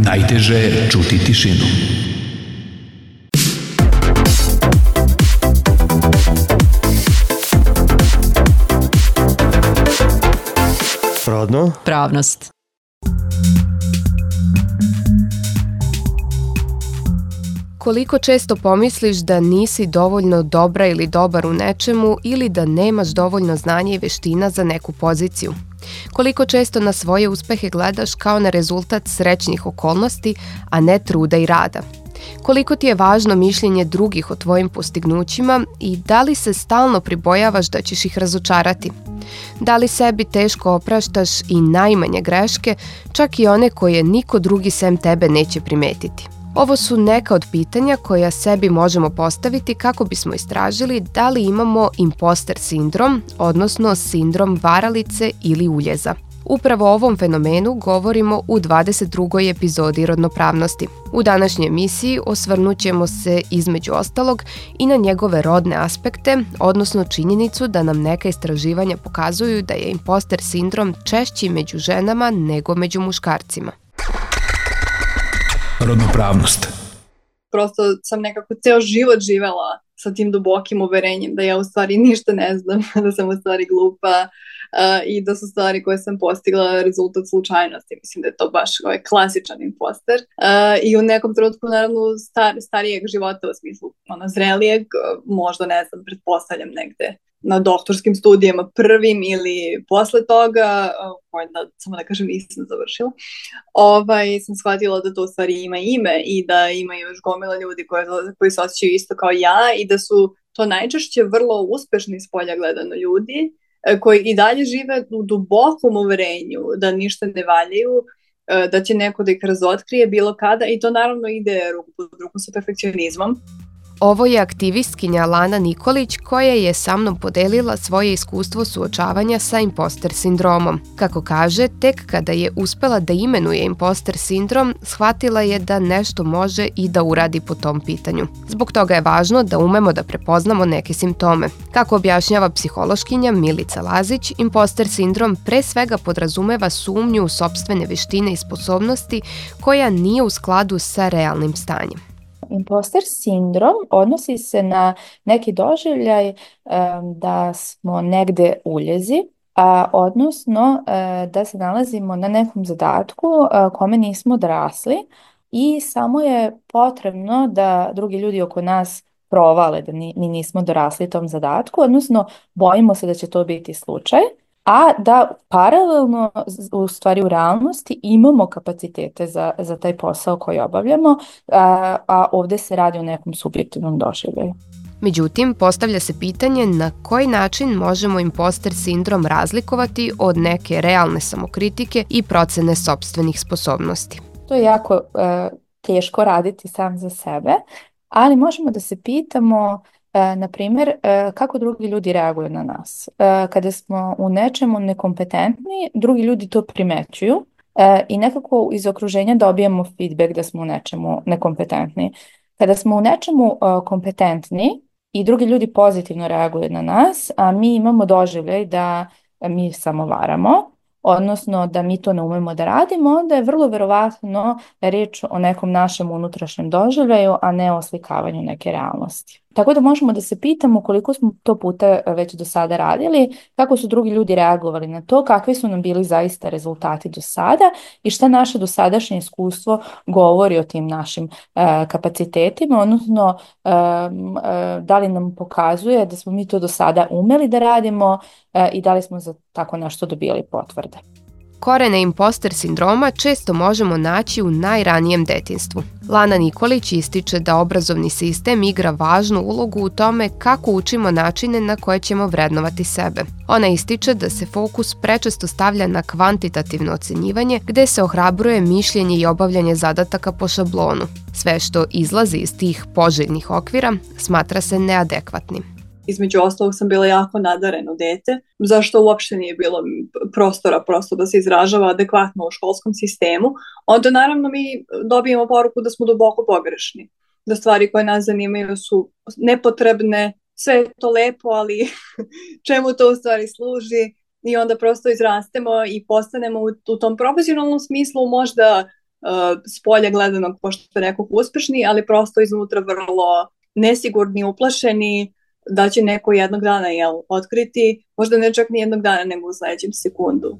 Najteže je čuti tišinu. Rodno? Pravnost. Koliko često pomisliš da nisi dovoljno dobra ili dobar u nečemu ili da nemaš dovoljno znanja i veština za neku poziciju? Koliko često na svoje uspehe gledaš kao na rezultat srećnih okolnosti, a ne truda i rada? Koliko ti je važno mišljenje drugih o tvojim postignućima i da li se stalno pribojavaš da ćeš ih razočarati? Da li sebi teško opraštaš i najmanje greške, čak i one koje niko drugi sem tebe neće primetiti? Ovo su neka od pitanja koja sebi možemo postaviti kako bismo istražili da li imamo imposter sindrom, odnosno sindrom varalice ili uljeza. Upravo o ovom fenomenu govorimo u 22. epizodi Rodnopravnosti. U današnjoj emisiji osvrnut ćemo se između ostalog i na njegove rodne aspekte, odnosno činjenicu da nam neka istraživanja pokazuju da je imposter sindrom češći među ženama nego među muškarcima. Rodnopravnost. Prosto sam nekako ceo život živela sa tim dubokim uverenjem da ja u stvari ništa ne znam, da sam u stvari glupa i da su stvari koje sam postigla rezultat slučajnosti. Mislim da je to baš klasičan imposter. I u nekom trenutku, naravno, starijeg života, u smislu zrelijeg, možda ne znam, pretpostavljam negde na doktorskim studijama prvim ili posle toga, koje samo da kažem nisam završila, sam shvatila da to u stvari ima ime i da ima još gomila ljudi koji se osjećaju isto kao ja i da su to najčešće vrlo uspešni spolja gledano ljudi koji i dalje žive u dubokom uverenju da ništa ne valjaju, da će neko da ih razotkrije bilo kada i to naravno ide ruku pod ruku sa perfekcionizmom. Ovo je aktivistkinja Lana Nikolić koja je sa mnom podelila svoje iskustvo suočavanja sa imposter sindromom. Kako kaže, tek kada je uspela da imenuje imposter sindrom, shvatila je da nešto može i da uradi po tom pitanju. Zbog toga je važno da umemo da prepoznamo neke simptome. Kako objašnjava psihološkinja Milica Lazić, imposter sindrom pre svega podrazumeva sumnju u sopstvene veštine i sposobnosti koja nije u skladu sa realnim stanjem. Imposter sindrom odnosi se na neki doživljaj da smo negde uljezi, odnosno da se nalazimo na nekom zadatku kome nismo dorasli i samo je potrebno da drugi ljudi oko nas provale da mi nismo dorasli tom zadatku, odnosno bojimo se da će to biti slučaj, a da paralelno u stvari u realnosti imamo kapacitete za taj posao koji obavljamo, a ovdje se radi o nekom subjektivnom doživljaju. Međutim, postavlja se pitanje na koji način možemo imposter sindrom razlikovati od neke realne samokritike i procene sopstvenih sposobnosti. To je jako teško raditi sam za sebe, ali možemo da se pitamo na primjer, kako drugi ljudi reaguju na nas. Kada smo u nečemu nekompetentni, drugi ljudi to primećuju i nekako iz okruženja dobijemo feedback da smo u nečemu nekompetentni. Kada smo u nečemu kompetentni i drugi ljudi pozitivno reaguju na nas, a mi imamo doživljaj da mi samo varamo, odnosno da mi to ne umemo da radimo, onda je vrlo verovatno riječ o nekom našem unutrašnjem doživljaju, a ne o slikavanju neke realnosti. Tako da možemo da se pitamo koliko smo to puta već do sada radili, kako su drugi ljudi reagovali na to, kakvi su nam bili zaista rezultati do sada i šta naše dosadašnje iskustvo govori o tim našim kapacitetima, odnosno da li nam pokazuje da smo mi to do sada umeli da radimo i da li smo za tako nešto dobili potvrde. Korene imposter sindroma često možemo naći u najranijem detinjstvu. Lana Nikolić ističe da obrazovni sistem igra važnu ulogu u tome kako učimo načine na koje ćemo vrednovati sebe. Ona ističe da se fokus prečesto stavlja na kvantitativno ocenjivanje, gde se ohrabruje mišljenje i obavljanje zadataka po šablonu. Sve što izlazi iz tih poželjnih okvira smatra se neadekvatnim. Između ostalog sam bila jako nadareno dete, zašto uopšte nije bilo prostora prosto da se izražava adekvatno u školskom sistemu. Onda naravno mi dobijemo poruku da smo duboko pogrešni, da stvari koje nas zanimaju su nepotrebne, sve je to lepo, ali čemu to u stvari služi i onda prosto izrastemo i postanemo u tom profesionalnom smislu možda s polja gledano, pošto rekao, uspešni, ali prosto iznutra vrlo nesigurni, uplašeni, da će neko jednog dana otkriti, možda ne čak ni jednog dana, nego u sledećem sekundu.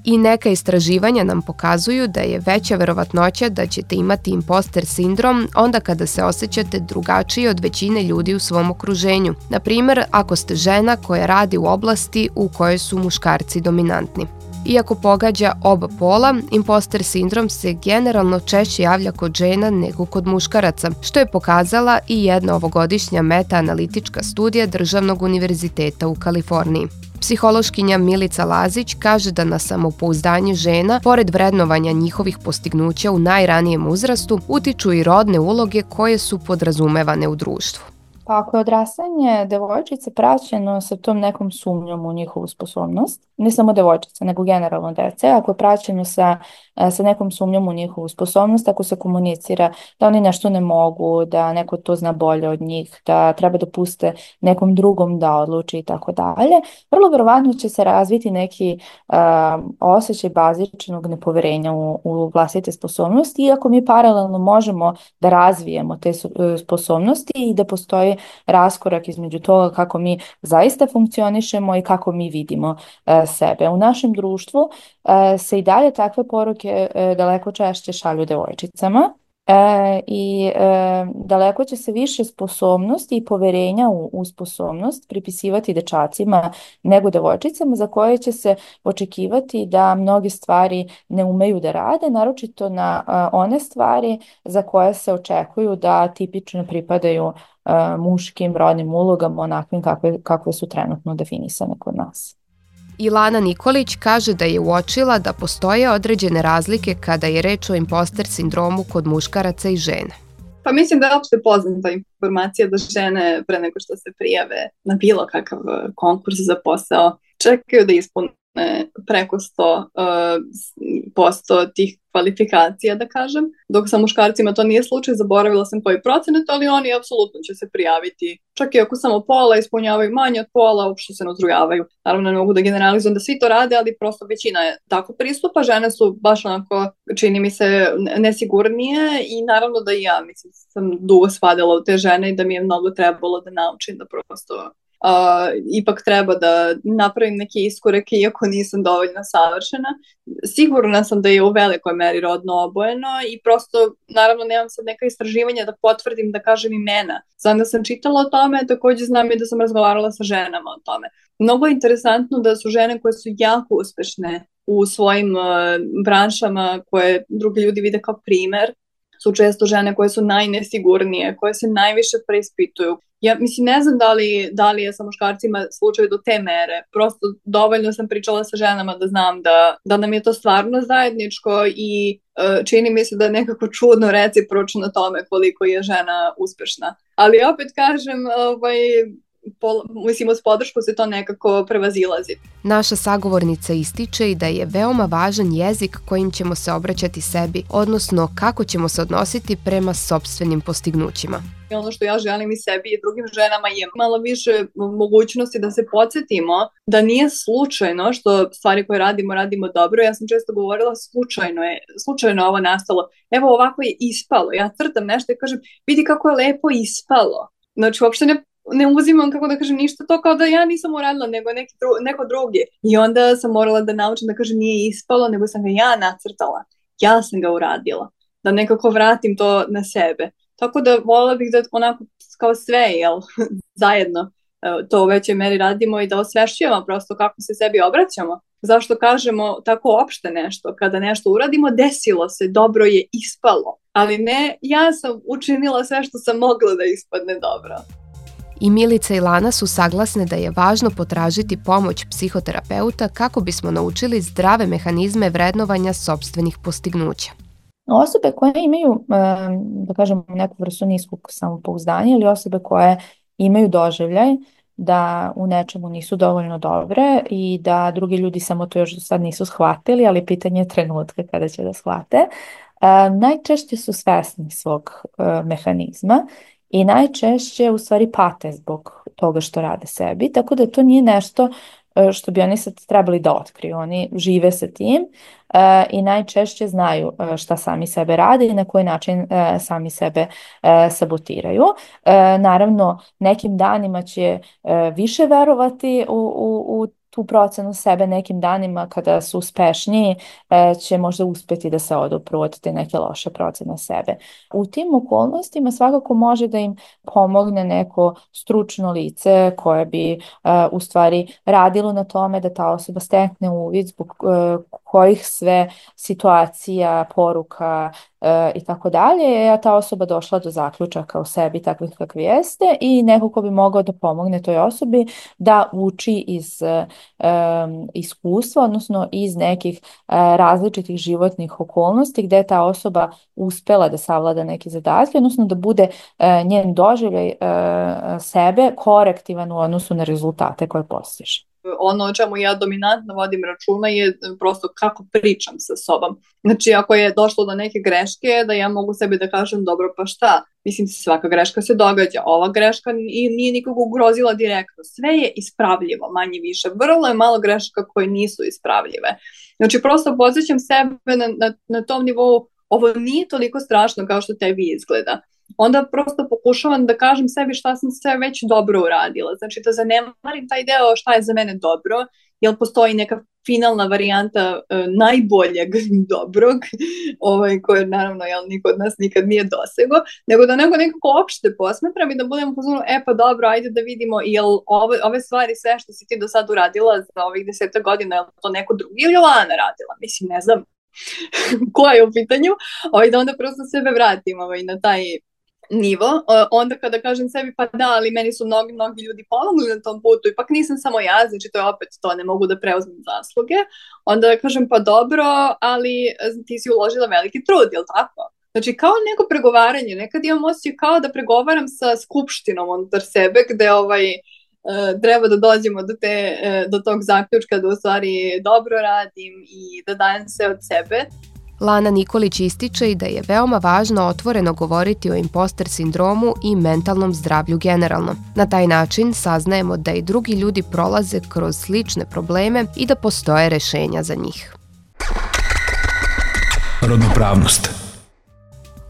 I neka istraživanja nam pokazuju da je veća verovatnoća da ćete imati imposter sindrom onda kada se osjećate drugačije od većine ljudi u svom okruženju. Na primer, ako ste žena koja radi u oblasti u kojoj su muškarci dominantni. Iako pogađa oba pola, imposter sindrom se generalno češće javlja kod žena nego kod muškaraca, što je pokazala i jedna ovogodišnja meta-analitička studija Državnog univerziteta u Kaliforniji. Psihološkinja Milica Lazić kaže da na samopouzdanje žena, pored vrednovanja njihovih postignuća u najranijem uzrastu, utiču i rodne uloge koje su podrazumevane u društvu. Pa ako je odrastanje devojčice praćeno sa tom nekom sumnjom u njihovu sposobnost, ne samo devojčica, nego generalno dece, ako je praćeno sa nekom sumnjom u njihovu sposobnost, ako se komunicira da oni nešto ne mogu, da neko to zna bolje od njih, da treba da puste nekom drugom da odluči i tako dalje, vrlo verovatno će se razviti neki osjećaj bazičnog nepoverenja u vlastite sposobnosti, iako mi paralelno možemo da razvijemo te sposobnosti i da postoji raskorak između toga kako mi zaista funkcionišemo i kako mi vidimo sebe. U našem društvu se i dalje takve poruke daleko češće šalju devojčicama i daleko će se više sposobnosti i poverenja u sposobnost pripisivati dečacima nego devojčicama, za koje će se očekivati da mnoge stvari ne umeju da rade, naročito na one stvari za koje se očekuju da tipično pripadaju muškim rodnim ulogama, onakvim kakve su trenutno definisane kod nas. Ilana Nikolić kaže da je uočila da postoje određene razlike kada je reč o imposter sindromu kod muškaraca i žene. Pa mislim da je opšte poznata informacija da žene pre nego što se prijave na bilo kakav konkurs za posao čekaju da ispune preko 100% tih kvalifikacija, da kažem. Dok sa muškarcima to nije slučaj, zaboravila sam koji procenat, ali oni apsolutno će se prijaviti. Čak i ako samo pola ispunjavaju manje od pola, uopšte se ne uzrujavaju. Naravno, ne mogu da generalizujem da svi to rade, ali prosto većina je tako pristupa. Žene su baš onako, čini mi se, nesigurnije i naravno da i ja, mislim, sam dugo spadala u te žene i da mi je mnogo trebalo da naučim da prosto ipak treba da napravim neke iskorake iako nisam dovoljno savršena. Sigurna sam da je u velikoj meri rodno obojeno i prosto, naravno, nemam sad neka istraživanja da potvrdim, da kažem imena. Znam da sam čitala o tome, takođe znam i da sam razgovarala sa ženama o tome. Mnogo je interesantno da su žene koje su jako uspešne u svojim branšama, koje drugi ljudi vide kao primer, su često žene koje su najnesigurnije, koje se najviše preispituju. Ja mislim, ne znam da li je sa muškarcima slučaj do te mere. Prosto dovoljno sam pričala sa ženama da znam da nam je to stvarno zajedničko i čini mi se da je nekako čudno recipročno tome koliko je žena uspešna. Ali opet kažem, mislim, uz podršku se to nekako prevazilazi. Naša sagovornica ističe i da je veoma važan jezik kojim ćemo se obraćati sebi, odnosno kako ćemo se odnositi prema sopstvenim postignućima. Ono što ja želim i sebi i drugim ženama je malo više mogućnosti da se podsjetimo da nije slučajno što stvari koje radimo dobro. Ja sam često govorila slučajno ovo nastalo. Evo ovako je ispalo. Ja crtam nešto i kažem vidi kako je lepo ispalo. Znači uopšte ne uzimam, kako da kažem, ništa to kao da ja nisam uradila, nego neko drugi. I onda sam morala da naučim da kažem nije ispalo, nego sam ga ja nacrtala. Ja sam ga uradila. Da nekako vratim to na sebe. Tako da voljela bih da onako kao sve, zajedno to u većoj meri radimo i da osvešćujemo prosto kako se sebi obraćamo. Zašto kažemo tako opšte nešto? Kada nešto uradimo, desilo se, dobro je ispalo. Ali ne, ja sam učinila sve što sam mogla da ispadne dobro. I Milica i Lana su saglasne da je važno potražiti pomoć psihoterapeuta kako bismo naučili zdrave mehanizme vrednovanja sopstvenih postignuća. Osobe koje imaju, da kažem, neku vrstu niskog samopouzdanja ili osobe koje imaju doživljaj da u nečemu nisu dovoljno dobre i da drugi ljudi samo to još do sad nisu shvatili, ali pitanje je trenutka kada će da shvate, najčešće su svesni svog mehanizma i najčešće u stvari pate zbog toga što rade sebi, tako da to nije nešto što bi oni sad trebali da otkriju. Oni žive sa tim i najčešće znaju šta sami sebe rade i na koji način sami sebe sabotiraju. Naravno, nekim danima će više verovati u tu procenu sebe, nekim danima kada su uspešniji će možda uspjeti da se odupru od te neke loše procene sebe. U tim okolnostima svakako može da im pomogne neko stručno lice koje bi u stvari radilo na tome da ta osoba stekne uvid zbog kojih sve situacija, poruka i tako dalje, a ta osoba došla do zaključaka o sebi takvih kakvi jeste i neko ko bi mogao da pomogne toj osobi da uči iz iskustva, odnosno iz nekih različitih životnih okolnosti gdje je ta osoba uspela da savlada neke zadatke, odnosno da bude njen doživljaj sebe korektivan u odnosu na rezultate koje postiže. Ono o čemu ja dominantno vodim računa je prosto kako pričam sa sobom. Znači, ako je došlo do neke greške, da ja mogu sebi da kažem, dobro, pa šta? Mislim, svaka greška se događa. Ova greška nije nikog ugrozila direktno. Sve je ispravljivo, manje više. Vrlo je malo grešaka koje nisu ispravljive. Znači, prosto podsjećam sebe na tom nivou, ovo nije toliko strašno kao što tebi izgleda. Onda prosto pokušavam da kažem sebi šta sam sve već dobro uradila. Znači da zanemarim taj deo šta je za mene dobro, jer postoji neka finalna varijanta najboljeg dobrog, koje naravno niko od nas nikad nije dosego, nego da nekako opšte posmetram i da budem u fazonu, pa dobro, ajde da vidimo, jel ove stvari sve što si ti do sad uradila za ovih 10 godina, je to neko drugi ili Lana radila? Mislim, ne znam ko je u pitanju, da onda prosto sebe vratim na taj nivo, onda kada kažem sebi pa da, ali meni su mnogi ljudi pomogli na tom putu, ipak nisam samo ja, znači to je opet to, ne mogu da preuzmem zasluge, onda kažem pa dobro, ali ti si uložila veliki trud, jel tako? Znači kao neko pregovaranje, nekad imam osjećaj kao da pregovaram sa skupštinom unutar sebe, gde treba da dođemo do tog zaključka da u stvari dobro radim i da dajem sve od sebe. Lana Nikolić ističe i da je veoma važno otvoreno govoriti o imposter sindromu i mentalnom zdravlju generalno. Na taj način saznajemo da i drugi ljudi prolaze kroz slične probleme i da postoje rešenja za njih. Rodnopravnost.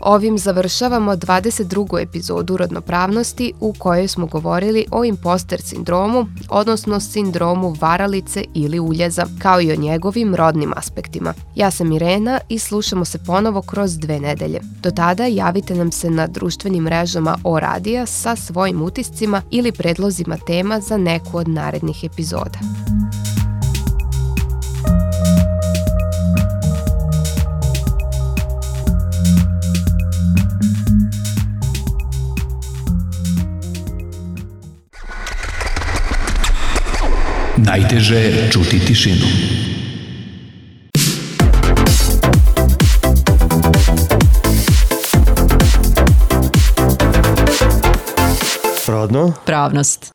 Ovim završavamo 22. epizodu Rodnopravnosti u kojoj smo govorili o imposter sindromu, odnosno sindromu varalice ili uljeza, kao i o njegovim rodnim aspektima. Ja sam Irena i slušamo se ponovo kroz 2 nedelje. Do tada javite nam se na društvenim mrežama O Radija sa svojim utiscima ili predlozima tema za neku od narednih epizoda. Najteže je čuti tišinu. Rodnopravnost.